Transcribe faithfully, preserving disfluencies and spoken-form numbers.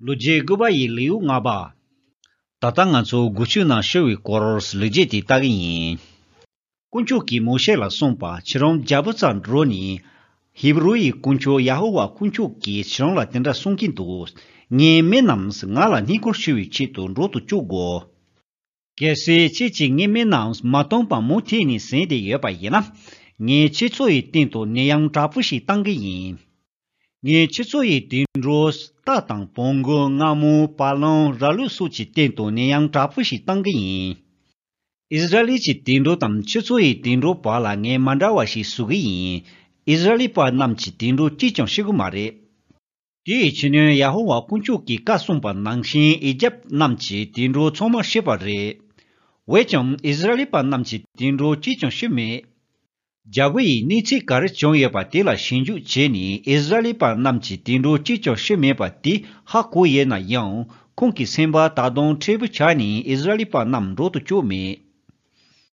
ལོ་རྒྱུས་དགུ་པ་ཡི་ལེའུ་ལྔ་པ། ད་ལྟ་ང་ཚོ་འགུལ་སྐྱོད་ནང་ཤོར་བའི་སྐོར་ལེགས་སྐྱེས་དེ་ལྟ་གི་ཡིན། དཀོན་མཆོག་གིས་མོ་ཤེ་ལ་གསུངས་པ། ཁྱེད་རང་རྒྱལ་པོ་རྩར་འགྲོ་ནས། ཧི་བུ་རུ་ཡི་དཀོན་མཆོག་ཡ་ཧོ་ཝཱ་དཀོན་མཆོག་གིས་ཁྱེད་རང་ལ་དེ་འདྲ་གསུང་གིན་འདུག། ངའི་མི་རྣམས་ང་ལ་བསྙེན་བཀུར་ཞུ་བའི་ཆེད་དུ་འགྲོ་དུ་བཅུག་དགོས། གལ་སྲིད་ཁྱེད་ཀྱིས་ངའི་མི་རྣམས་མ་བཏང་བར་མུ་མཐུད་ནས་ཟིན་ཏེ་ཡོད་པ་ཡིན་ན། ངས་ཁྱེད་ཚོ་ཡི་སྟེང་དུ་ནད་ཡམས་དྲག་པོ་ཞིག་བཏང་གི་ཡིན། ངས་ཁྱེད་ཚོ་ཡི་དུད་འགྲོ་རྟ་དང་བོང་གུ་རྔ་མོང་བ་ལང་ར་ལུག་སོགས་ཀྱི་སྟེང་དུ་ནད་ཡམས་དྲག་པོ་ཞིག་བཏང་གི་ཡིན། ཨིསི་ར་ཨེལ་གྱི་དུད་འགྲོ་དང་ཁྱེད་ཚོ་ཡི་དུད་འགྲོ་བར་ལ་ངས་མ་འདྲ་བ་ཞིག་བཟོ་གི་ཡིན། ཨིསི་ར་ཨེལ་པ་རྣམས་ཀྱི་དུད་འགྲོ་གཅིག་ཀྱང་ཤི་གི་མ་རེད། དེའི་ཕྱི་ནས་ཡ་ཧོ་ཝཱ་དཀོན་མཆོག་གིས་བཀའ་གསུངས་པ་ནང་བཞིན་ཨི་ཇེབ་རྣམས་ཀྱི་དུད་འགྲོ་ཚང་མ་ཤི་བ་རེད། འོན་ཀྱང་ཨིསི་ར་ཨེལ་པ་རྣམས་ཀྱི་དུད་འགྲོ་གཅིག་ཀྱང་ཤི་མེད། རྒྱལ་པོ་ཡིས་གནས་ཚུལ་ག་རེ་བྱུང་ཡོད་པ་དེ་ལ་ཞིབ་འཇུག་བྱས་ནས་ཨིསི་ར་ཨེལ་པ་རྣམས་ཀྱི་དུད་འགྲོ་གཅིག་ཀྱང་ཤི་མེད་པ་དེ་ཧ་གོ་ཡོད་ན་ཡང་ཁོང་གི་སེམས་པ་ད་དུང་མཁྲེགས་པོ་ཆགས་ནས་ཨིསི་ར་ཨེལ་པ་རྣམས་འགྲོ་དུ་བཅུག་མེད།